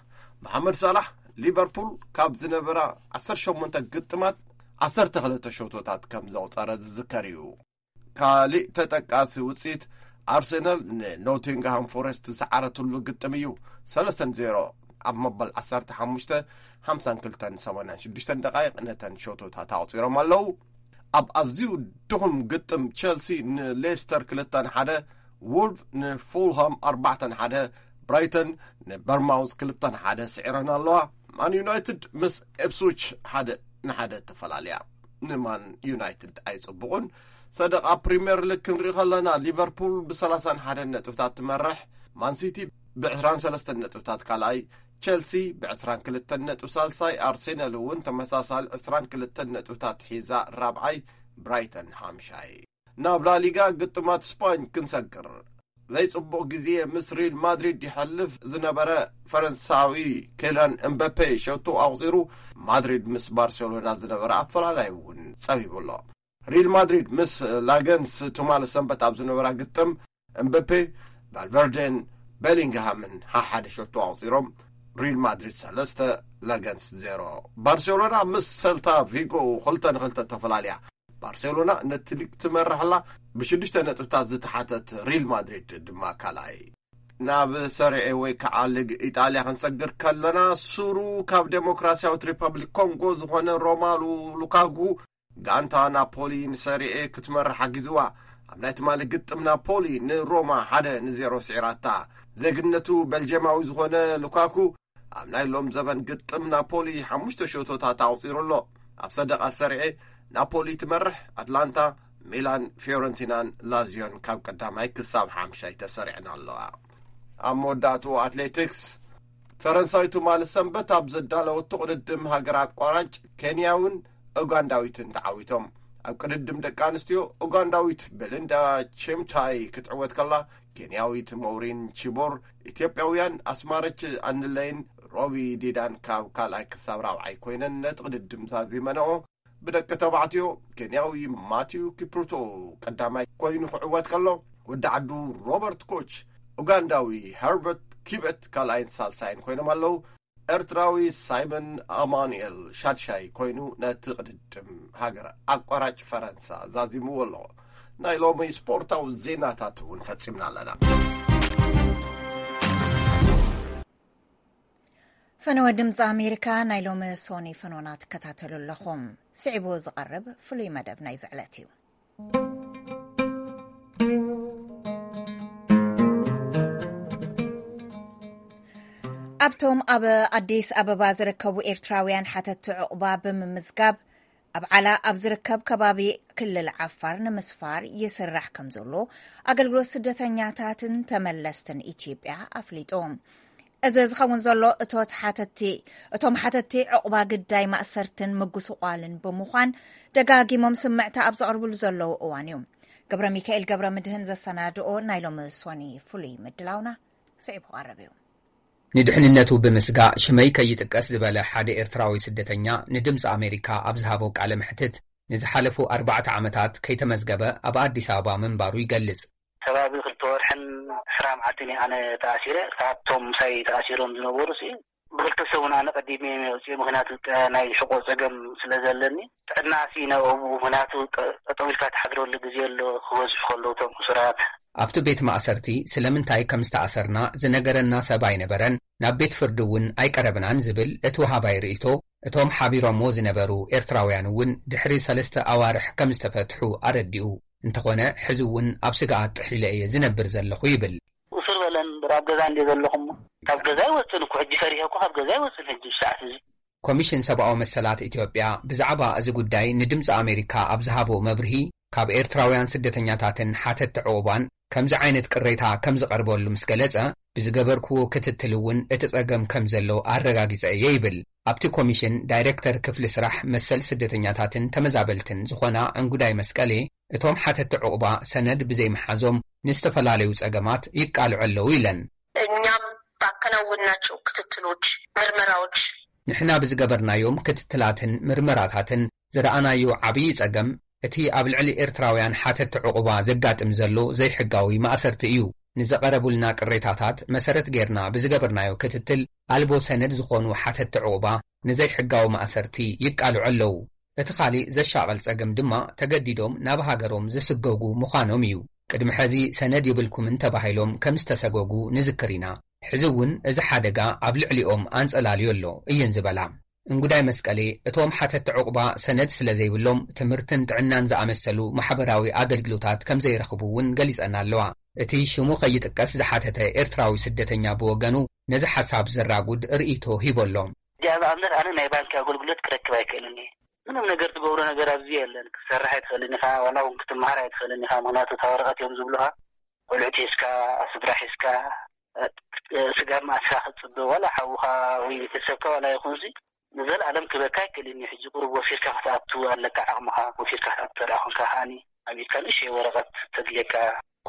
መሓመድ ሳላሕ ሊቨርፑል ካብ ዝነበራ ዓሰርተ ሸሞንተ ግጥማት ዓሰርተ ክልተ ሸቶታት ከም ዘቑጸረ ዝዝከር እዩ። ካሊእ ተጠቃሲ ውፅኢት ኣርሰናል ንኖቲንግሃም ፎረስት ዝሰዓረትሉ ግጥም እዩ። ሰለስተ ዜሮ ኣብ መበል ዓሰርተ ሓሙሽተ ሓምሳን ክልተን ሰማንያን ሽዱሽተን ደቃይቕ ነተን ሸቶታት ኣቑፂሮም ኣለዉ። ኣብ ኣዝዩ ድኹም ግጥም ቸልሲ ንሌስተር ክልተ ንሓደ፣ ዎልቭ ንፉልሃም ኣርባዕተ ንሓደ፣ ብራይተን ንበርማውዝ ክልተ ንሓደ ስዒረን ኣለዋ። ማን ዩናይትድ ምስ ኤፕስዊች ሓደ ንሓደ ተፈላለያ። ንማን ዩናይትድ ኣይጽቡቑን። ሰደቓ ፕሪምየር ሊግ ክንርኢ ከለና ሊቨርፑል ብ ሰላሳን ሓደን ነጥብታት ትመርሕ፣ ማንሲቲ ብ ዕስራን ሰለስተን ነጥብታት ካልኣይ፣ ቸልሲ ብ ዕስራን ክልተን ነጥቢ ሳልሳይ፣ ኣርሴናል እውን ተመሳሳሊ ዕስራን ክልተን ነጥብታት ሒዛ ራብዓይ፣ ብራይተን ሓምሻይ። ናብ ላሊጋ ግጥማት ስፓኝ ክንሰግር። ዘይጽቡቕ ግዜ ምስ ሪል ማድሪድ ይሐልፍ ዝነበረ ፈረንሳዊ ኬላን እምበፔ ሸቶ ኣቑጺሩ፣ ማድሪድ ምስ ባርሴሎና ዝነበረ ኣፈላላይ እውን ጸቢቡ ኣሎ። ሪል ማድሪድ ምስ ላገንስ ትማሊ ሰንበት ኣብ ዝነበራ ግጥም፣ እምበፔ፣ ቫልቨርደን ቤሊንግሃምን ሓሓደ ሸቶ ኣቑጺሮም፣ ሪል ማድሪድ ሰለስተ፣ ላገንስ ዜሮ። ባርሴሎና ምስ ሰልታ ቪጎ ክልተ ንክልተ ተፈላልያ። ባርሴሎና ነቲ ሊግ ትመርሕ ኣላ፣ ብሽዱሽተ ነጥብታት ዝተሓተት ሪል ማድሪድ ድማ ካልኣይ። ናብ ሰሪኤ ወይ ከዓ ሊግ ኢጣልያ ክንሰግር ከለና፣ ሱሩ ካብ ዴሞክራሲያዊት ሪፐብሊክ ኮንጎ ዝኾነ ሮማሉ ሉካጉ፣ ጋንታ ናፖሊ ንሰሪኤ ክትመርሕ ሓጊዝዋ። ኣብ ናይ ትማሊ ግጥም ናፖሊ ንሮማ ሓደ ንዜሮ ስዒራታ። ዜግነቱ ቤልጅየማዊ ዝኾነ ሉካኩ፣ ኣብ ናይ ሎም ዘበን ግጥም ናፖሊ ሓሙሽተ ሸቶታት ኣቑጺሩ ኣሎ። ኣብ ሰደቓ ሰሪኤ ናፖሊ ትመርሕ፣ ኣትላንታ፣ ሚላን፣ ፊዮረንቲናን ላዚዮን ካብ ቀዳማይ ክሳብ ሓምሻይ ተሰሪዐን ኣለዋ። ኣብ መወዳእትኡ ኣትሌቲክስ፣ ፈረንሳይ ትማሊ ሰንበት ኣብ ዘዳለወቶ ቅድድም ሃገር ኣቋራጭ ኬንያውን ኡጋንዳዊትን ተዓዊቶም። ኣብ ቅድድም ደቂ ኣንስትዮ፣ ኡጋንዳዊት ቤሊንዳ ቼምታይ ክትዕወት ከላ፣ ኬንያዊት ሞውሪን ቺቦር፣ ኢትዮጵያውያን ኣስማረች ኣንለይን ሮቢ ዲዳን ካብ ካልኣይ ክሳብ ራብዓይ ኮይነን ነቲ ቅድድም ዛዚመንኦ። ብደቂ ተባዕትዮ፣ ኬንያዊ ማቲዩ ኪፕሩቶ ቀዳማይ ኮይኑ ክዕወት ከሎ፣ ወዲ ዓዱ ሮበርት ኮች፣ ኡጋንዳዊ ሀርበርት ኪበት ካልኣይን ሳልሳይን ኮይኖም ኣለዉ። ኤርትራዊ ሳይመን ኣማኑኤል ሻድሻይ ኮይኑ ነቲ ቅድድም ሃገር ኣቋራጭ ፈረንሳ ዛዚምዎ ኣሎ። ናይ ሎሚ ስፖርታዊ ዜናታት እውን ፈጺምና ኣለና። ፈነወ ድምፂ ኣሜሪካ ናይ ሎሚ ሶኒ ፈኖና ትከታተሉ ኣለኹም። ስዒቡ ዝቐርብ ፍሉይ መደብ ናይዚ ዕለት እዩ። ኣብቶም ኣብ ኣዲስ ኣበባ ዝርከቡ ኤርትራውያን ሓተቲ ዕቑባ ብምምዝጋብ ኣብ ዓላ ኣብ ዝርከብ ከባቢ ክልል ዓፋር ንምስፋር ይስራሕ ከም ዘሎ ኣገልግሎት ስደተኛታትን ተመለስትን ኢትዮጵያ ኣፍሊጡ። እዚ ዝኸውን ዘሎ እቶት ሓተቲ፣ እቶም ሓተቲ ዕቑባ ግዳይ ማእሰርትን ምጉስቋልን ብምዃን ደጋጊሞም ስምዕታ ኣብ ዘቕርብሉ ዘለዉ እዋን እዩ። ገብረ ሚካኤል ገብረ ምድህን ዘሰናድኦ ናይ ሎሚ ሶኒ ፍሉይ ምድላውና ስዒቡ ክቐርብ እዩ። ንድሕንነቱ ብምስጋእ ሽመይ ከይጥቀስ ዝበለ ሓደ ኤርትራዊ ስደተኛ ንድምፂ ኣሜሪካ ኣብ ዝሃቦ ቃለ መሕትት፣ ንዝሓለፉ ኣርባዕተ ዓመታት ከይተመዝገበ ኣብ ኣዲስ ኣበባ ምንባሩ ይገልጽ። ከባቢ ክልተ ወርሕን ዕስራ መዓልትን እየ ኣነ ተኣሲረ። ካብቶም ምሳይ ተኣሲሮም ዝነበሩ ሲ ብክልተ ሰሙን ኣነ ቀዲመ እየ ወፂኤ። ምክንያቱ ጥ-፣ ናይ ሕቆ ፀገም ስለ ዘለኒ፣ ጥዕና ሲ ናብኡ፣ ምክንያቱ ጠ-፣ ጠጠው ኢልካ ትሓድረሉ ግዜ ኣሎ፣ ክበዝሑ ከለዉ እቶም ሕሱራት። ኣብቲ ቤት ማእሰርቲ ስለምንታይ ከም ዝተኣሰርና ዝነገረና ሰብ ኣይነበረን፣ ናብ ቤት ፍርዲ እውን ኣይቀረብናን ዝብል እቲ ወሃባይ ርእይቶ፣ እቶም ሓቢሮምዎ ዝነበሩ ኤርትራውያን እውን ድሕሪ ሰለስተ ኣዋርሕ ከም ዝተፈትሑ ኣረዲኡ። እንተኾነ፣ ሕዚ እውን ኣብ ስግኣት ጥሒለ እየ ዝነብር ዘለኹ ይብል። ቁስር በለን እምበር ኣብ ገዛ እንደ ዘለኹ እሞ፣ ካብ ገዛ ኣይወፅን እኮ። ሕጂ ፈሪሀ እኮ ካብ ገዛ ኣይወፅን። ሕጂ ሰዓት እዚ ኮሚሽን ሰብኣዊ መሰላት ኢትዮጵያ ብዛዕባ እዚ ጉዳይ ንድምፂ ኣሜሪካ ኣብ ዝሃቦ መብርሂ፣ ካብ ኤርትራውያን ስደተኛታትን ሓተቲ ዕቑባን ከምዚ ዓይነት ቅሬታ ከም ዝቐርበሉ ምስ ገለጸ፣ ብዝገበርክዎ ክትትል እውን እቲ ጸገም ከም ዘሎ ኣረጋጊጸ እየ ይብል። ኣብቲ ኮሚሽን ዳይሬክተር ክፍሊ ስራሕ መሰል ስደተኛታትን ተመዛበልትን ዝኾና እንጉዳይ መስቀሌ፣ እቶም ሓተቲ ዕቑባ ሰነድ ብዘይምሓዞም ንዝተፈላለዩ ጸገማት ይቃልዑ ኣለዉ ኢለን። እኛም ባከናወንናቸው ክትትሎች፣ ምርመራዎች፣ ንሕና ብዝገበርናዮም ክትትላትን ምርመራታትን ዝረኣናዮ ዓብዪ ጸገም፣ እቲ ኣብ ልዕሊ ኤርትራውያን ሓተቲ ዕቑባ ዘጋጥም ዘሎ ዘይሕጋዊ ማእሰርቲ እዩ። ንዘቐረቡልና ቅሬታታት መሰረት ጌርና ብዝገበርናዮ ክትትል፣ ኣልቦ ሰነድ ዝኾኑ ሓተቲ ዕቑባ ንዘይሕጋዊ ማእሰርቲ ይቃልዑ ኣለዉ። እቲ ካሊእ ዘሻቐል ጸገም ድማ፣ ተገዲዶም ናብ ሃገሮም ዝስገጉ ምዃኖም እዩ። ቅድሚ ሕዚ ሰነድ የብልኩምን ተባሂሎም ከም ዝተሰገጉ ንዝክር ኢና። ሕዚ እውን እዚ ሓደጋ ኣብ ልዕሊኦም ኣንጸላልዩ ኣሎ እየን ዝበላ። እንጉዳይ መስቀሌ፣ እቶም ሓተቲ ዕቑባ ሰነድ ስለ ዘይብሎም፣ ትምህርትን ጥዕናን ዝኣመሰሉ ማሕበራዊ ኣገልግሎታት ከም ዘይረኽቡ እውን ገሊጸን ኣለዋ። እቲ ሽሙ ከይጥቀስ ዝሓተተ ኤርትራዊ ስደተኛ ብወገኑ፣ ነዚ ሓሳብ ዘራጉድ ርእይቶ ሂቡ ኣሎ። እዚኣ ንኣብነት ኣነ ናይ ባንኪ ኣገልግሎት ክረክብ ኣይክእልን እየ። ምንም ነገር ትገብሮ ነገር ኣብዚ የለን። ክትሰርሕ ኣይትኽእልን ኢኻ፣ ዋላ እውን ክትመሃር ኣይትኽእልን ኢኻ። ምኽንያቱ እታ ወረቐት እዮም ዝብሉኻ። ቆልዑት ሒዝካ፣ ስድራ ሒዝካ፣ ስጋብ መዓስካ ክትፅበ ዋላ ሓውካ ወይ ቤተሰብካ ዋላ ይኹን እዚ ንዘለኣለም ክበካ ኣይክእልን እዩ። ሕጂ ቁሩብ ወፊርካ ክትኣቱ ኣለካ ዓቕምኻ። ወፊርካ ክትኣቱ ተደኣ ኮንካ ከዓኒ ኣብ ኢድካ ንእሽተይ ወረቐት ተድልየካ።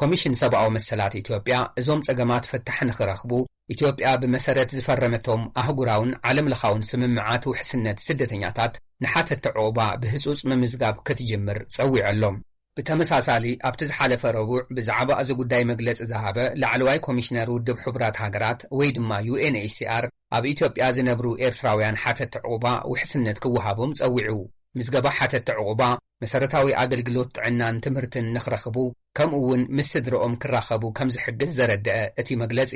ኮሚሽን ሰብኣዊ መሰላት ኢትዮጵያ እዞም ጸገማት ፍታሕ ንኽረኽቡ ኢትዮጵያ ብመሰረት ዝፈረመቶም ኣህጉራውን ዓለም ለኻውን ስምምዓት ውሕስነት ስደተኛታት ንሓተቲ ዕቑባ ብህጹጽ ምምዝጋብ ክትጅምር ጸዊዑ ኣሎ። ብተመሳሳሊ ኣብቲ ዝሓለፈ ረቡዕ ብዛዕባ እዚ ጉዳይ መግለጺ ዝሃበ ላዕለዋይ ኮሚሽነር ውድብ ሕቡራት ሃገራት ወይ ድማ ዩ ኤን ኤች ሲ ኣር ኣብ ኢትዮጵያ ዝነብሩ ኤርትራውያን ሓተቲ ዕቑባ ውሕስነት ክወሃቦም ጸዊዑ። ምዝገባ ሓተቲ ዕቑባ መሰረታዊ ኣገልግሎት ጥዕናን ትምህርትን ንኽረኽቡ ከምኡ እውን ምስ ስድረኦም ክራኸቡ ከም ዝሕግዝ ዘረደአ እቲ መግለጺ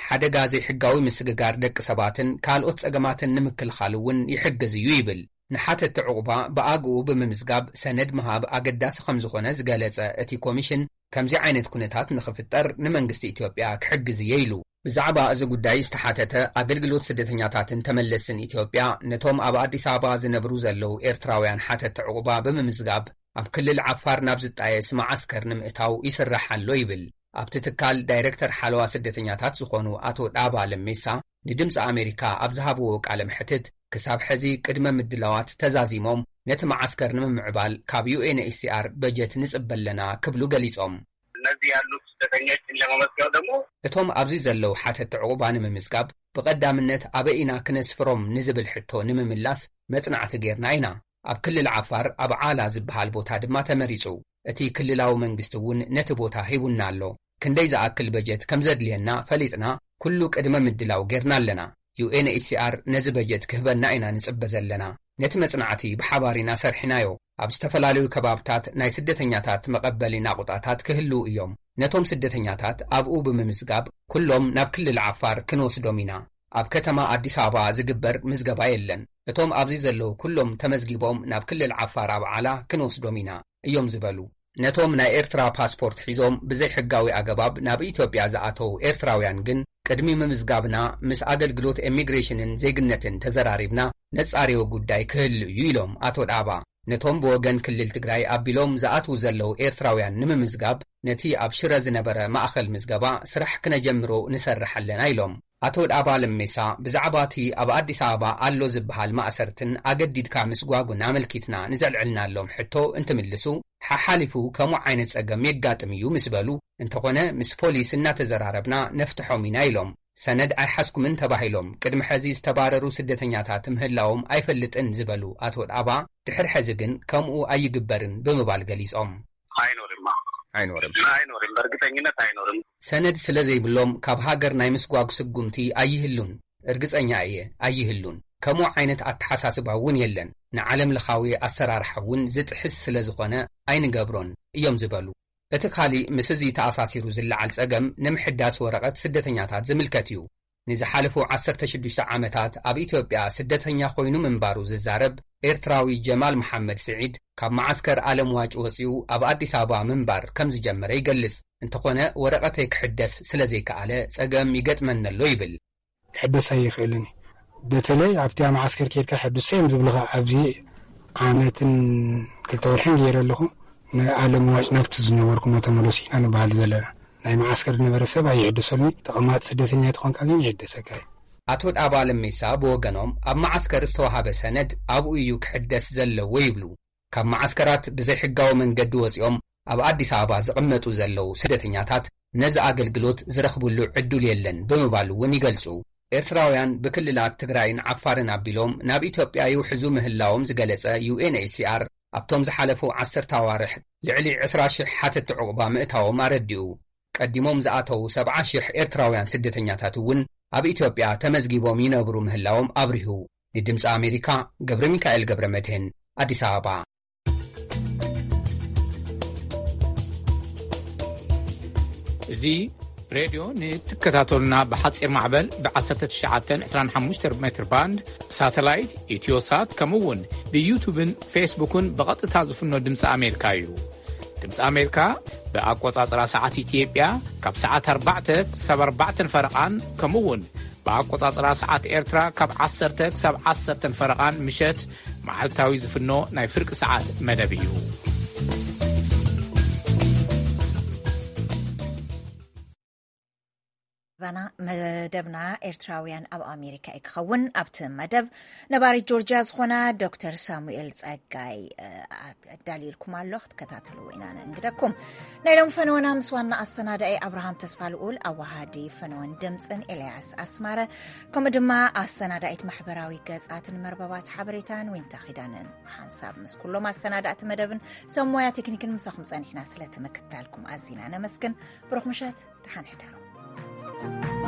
ሓደጋ ዘይሕጋዊ ምስግጋር ደቂ ሰባትን ካልኦት ጸገማትን ንምክልኻል እውን ይሕግዝ እዩ ይብል። ንሓተቲ ዕቑባ ብኣግኡ ብምምዝጋብ ሰነድ ምሃብ ኣገዳሲ ከም ዝኾነ ዝገለጸ እቲ ኮሚሽን ከምዚ ዓይነት ኩነታት ንኽፍጠር ንመንግስቲ ኢትዮጵያ ክሕግዝ እየ ኢሉ። ብዛዕባ እዚ ጉዳይ ዝተሓተተ ኣገልግሎት ስደተኛታትን ተመለስን ኢትዮጵያ ነቶም ኣብ ኣዲስ ኣበባ ዝነብሩ ዘለዉ ኤርትራውያን ሓተቲ ዕቑባ ብምምዝጋብ ኣብ ክልል ዓፋር ናብ ዝጣየስ መዓስከር ንምእታው ይስራሕ ኣሎ ይብል። ኣብቲ ትካል ዳይረክተር ሓለዋ ስደተኛታት ዝኾኑ ኣቶ ዳባ ለሜሳ ንድምፂ ኣሜሪካ ኣብ ዝሃብዎ ቃለ መሕትት ክሳብ ሕዚ ቅድመ ምድላዋት ተዛዚሞም ነቲ መዓስከር ንምምዕባል ካብ ዩ ኤን ኤች ሲ ኣር በጀት ንፅበ ኣለና ክብሉ ገሊፆም። እነዚህ ያሉት ስደተኞችን ለመመዝገብ ደግሞ እቶም ኣብዚ ዘለዉ ሓተቲ ዕቑባ ንምምዝጋብ ብቐዳምነት ኣበይ ኢና ክነስፍሮም ንዝብል ሕቶ ንምምላስ መጽናዕቲ ጌርና ኢና። ኣብ ክልል ዓፋር ኣብ ዓላ ዝበሃል ቦታ ድማ ተመሪጹ። እቲ ክልላዊ መንግስቲ እውን ነቲ ቦታ ሂቡና ኣሎ። ክንደይ ዝኣክል በጀት ከም ዘድልየና ፈሊጥና ኩሉ ቅድመ ምድላው ጌርና ኣለና። ዩ ኤን ኤች ሲ ኣር ነዚ በጀት ክህበና ኢና ንጽበ ዘለና። ነቲ መጽናዕቲ ብሓባር ኢና ሰርሒናዮ። ኣብ ዝተፈላለዩ ከባብታት ናይ ስደተኛታት መቐበሊ ናቑጣታት ክህልዉ እዮም። ነቶም ስደተኛታት ኣብኡ ብምምዝጋብ ኩሎም ናብ ክልል ዓፋር ክንወስዶም ኢና። ኣብ ከተማ ኣዲስ ኣበባ ዝግበር ምዝገባ የለን። እቶም ኣብዚ ዘለዉ ኩሎም ተመዝጊቦም ናብ ክልል ዓፋር ኣብ ዓላ ክንወስዶም ኢና እዮም ዝበሉ። ነቶም ናይ ኤርትራ ፓስፖርት ሒዞም ብዘይሕጋዊ ኣገባብ ናብ ኢትዮጵያ ዝኣተዉ ኤርትራውያን ግን ቅድሚ ምምዝጋብና ምስ ኣገልግሎት ኢሚግሬሽንን ዜግነትን ተዘራሪብና ነጻርዮ ጉዳይ ክህሉ እዩ ኢሎም ኣቶ ዳባ። ነቶም ብወገን ክልል ትግራይ ኣቢሎም ዝኣትዉ ዘለዉ ኤርትራውያን ንምምዝጋብ ነቲ ኣብ ሽረ ዝነበረ ማእኸል ምዝገባ ስራሕ ክነጀምሮ ንሰርሕ ኣለና ኢሎም። ኣቶ ዳባ ለሜሳ ብዛዕባ እቲ ኣብ ኣዲስ ኣበባ ኣሎ ዝበሃል ማእሰርትን ኣገዲድካ ምስጓጉን ኣመልኪትና ንዘልዕልናሎም ሕቶ እንትምልሱ ሓሓሊፉ ከምኡ ዓይነት ጸገም የጋጥም እዩ ምስ በሉ እንተኾነ ምስ ፖሊስ እናተዘራረብና ነፍትሖም ኢና ኢሎም። ሰነድ ኣይሓዝኩምን ተባሂሎም ቅድሚ ሕዚ ዝተባረሩ ስደተኛታት ምህላዎም ኣይፈልጥን ዝበሉ ኣቶ ዳባ ድሕሪ ሕዚ ግን ከምኡ ኣይግበርን ብምባል ገሊጾም። አይኖርማ። አይኖርም። አይኖርም፣ በእርግጠኝነት አይኖርም። ሰነድ ስለ ዘይብሎም ካብ ሃገር ናይ ምስጓግ ስጉምቲ ኣይህሉን። እርግጸኛ እየ ኣይህሉን። ከምኡ ዓይነት ኣተሓሳስባ እውን የለን። ንዓለም ለኻዊ ኣሰራርሓ እውን ዝጥሕስ ስለ ዝኾነ ኣይንገብሮን እዮም ዝበሉ። እቲ ካሊእ ምስ እዚ ተኣሳሲሩ ዝለዓል ጸገም ንምሕዳስ ወረቐት ስደተኛታት ዝምልከት እዩ። ንዝሓለፉ ዓሰርተ ሽዱሽተ ዓመታት ኣብ ኢትዮጵያ ስደተኛ ኮይኑ ምንባሩ ዝዛረብ ኤርትራዊ ጀማል መሓመድ ስዒድ ካብ መዓስከር ኣለምዋጭ ወጺኡ ኣብ ኣዲስ ኣበባ ምንባር ከም ዝጀመረ ይገልጽ። እንተኾነ ወረቐተይ ክሕደስ ስለ ዘይከኣለ ጸገም ይገጥመኒ ኣሎ ይብል። ክሕደስ ኣይኽእልን እዩ። በተለይ ኣብቲ ኣብ መዓስከር ኬድካ ሕዱሰ እዮም ዝብልኻ። ኣብዚ ዓመትን ክልተ ወርሕን ገይረ ኣለኹ። ንኣለምዋጭ ናብቲ ዝነበርኩሞ ተመለሱ ኢና ንበሃል ዘለና። ናይ መዓስከር ዝነበረ ሰብ ኣይሕደሰሉን እዩ። ተቐማጢ ስደተኛ ተኾንካ ግን ይሕደሰካ እዩ። ኣቶ ዳባ ለሜሳ ብወገኖም ኣብ መዓስከር ዝተዋሃበ ሰነድ ኣብኡ እዩ ክሕደስ ዘለዎ ይብሉ። ካብ መዓስከራት ብዘይሕጋዊ መንገዲ ወጺኦም ኣብ ኣዲስ ኣበባ ዝቕመጡ ዘለዉ ስደተኛታት ነዚ ኣገልግሎት ዝረኽብሉ ዕዱል የለን ብምባል እውን ይገልጹ። ኤርትራውያን ብክልላት ትግራይን ዓፋርን ኣቢሎም ናብ ኢትዮጵያ ይውሕዙ ምህላዎም ዝገለጸ ዩ ኤን ኤች ሲ ኣር ኣብቶም ዝሓለፉ ዓሰርተ ኣዋርሕ ልዕሊ ዕስራ ሽሕ ሓተቲ ዕቑባ ምእታዎም ኣረዲኡ። ቀዲሞም ዝኣተዉ ሰብዓ ሽሕ ኤርትራውያን ስደተኛታት እውን ኣብ ኢትዮጵያ ተመዝጊቦም ይነብሩ ምህላዎም ኣብሪሁ። ንድምፂ ኣሜሪካ ገብረ ሚካኤል ገብረ መድህን ኣዲስ ኣበባ። እዚ ሬድዮ ንትከታተሉና ብሓፂር ማዕበል ብ ዓሰርተ ትሽዓተ ዕስራን ሓሙሽተ ሜትር ባንድ ብሳተላይት ኢትዮሳት ከምኡ እውን ብዩቱብን ፌስቡክን ብቐጥታ ዝፍኖ ድምፂ ኣሜሪካ እዩ። ድምፂ ኣሜሪካ ብኣቆፃፅራ ሰዓት ኢትዮጵያ ካብ ሰዓት ኣርባዕተ ክሳብ ኣርባዕተን ፈረቓን ከምኡ እውን ብኣቆፃፅራ ሰዓት ኤርትራ ካብ ዓሰርተ ክሳብ ዓሰርተን ፈረቓን ምሸት መዓልታዊ ዝፍኖ ናይ ፍርቂ ሰዓት መደብ እዩ። ባና መደብና ኤርትራውያን ኣብ ኣሜሪካ እዩ ክኸውን። ኣብቲ መደብ ነባሪት ጆርጅያ ዝኾና ዶክተር ሳሙኤል ጸጋይ ኣዳልዩልኩም ኣሎ፣ ክትከታተልዎ ኢና ንእንግደኩም። ናይ ሎም ፈነወና ምስ ዋና ኣሰናዳኢ ኣብርሃም ተስፋ ልኡል፣ ኣዋሃዲ ፈነወን ድምፅን ኤልያስ ኣስማረ፣ ከምኡ ድማ ኣሰናዳኢት ማሕበራዊ ገጻትን መርበባት ሓበሬታን ዊንታ ኺዳንን፣ ሓንሳብ ምስ ኩሎም ኣሰናዳእቲ መደብን ሰብ ሞያ ቴክኒክን ምሳኹም ጸኒሕና። ስለቲ ምክታልኩም ኣዚና ነመስግን። ብሩኽ ምሸት፣ ደሓን ሕደሩ።